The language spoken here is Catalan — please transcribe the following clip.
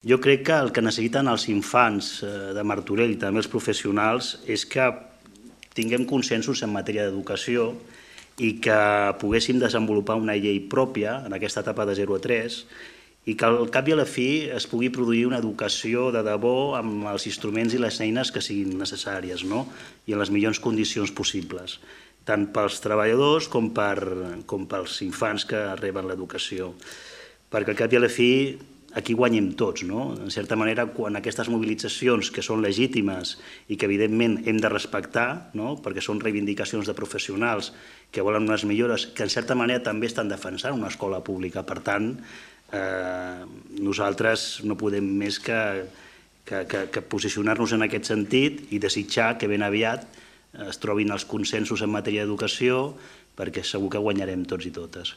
Jo crec que el que necessiten els infants de Martorell i també els professionals és que tinguem consensos en matèria d'educació i que poguéssim desenvolupar una llei pròpia en aquesta etapa de 0 a 3 i que al cap i a la fi es pugui produir una educació de debò amb els instruments i les eines que siguin necessàries, no? I en les millors condicions possibles, tant pels treballadors com pels infants que reben l'educació. Perquè al cap i a la fi aquí guanyem tots, no? En certa manera, quan aquestes mobilitzacions que són legítimes i que evidentment hem de respectar, no? Perquè són reivindicacions de professionals que volen unes millores que en certa manera també estan defensant una escola pública. Per tant, nosaltres no podem més que posicionar-nos en aquest sentit i desitjar que ben aviat es trobin els consensos en matèria d'educació perquè segur que guanyarem tots i totes.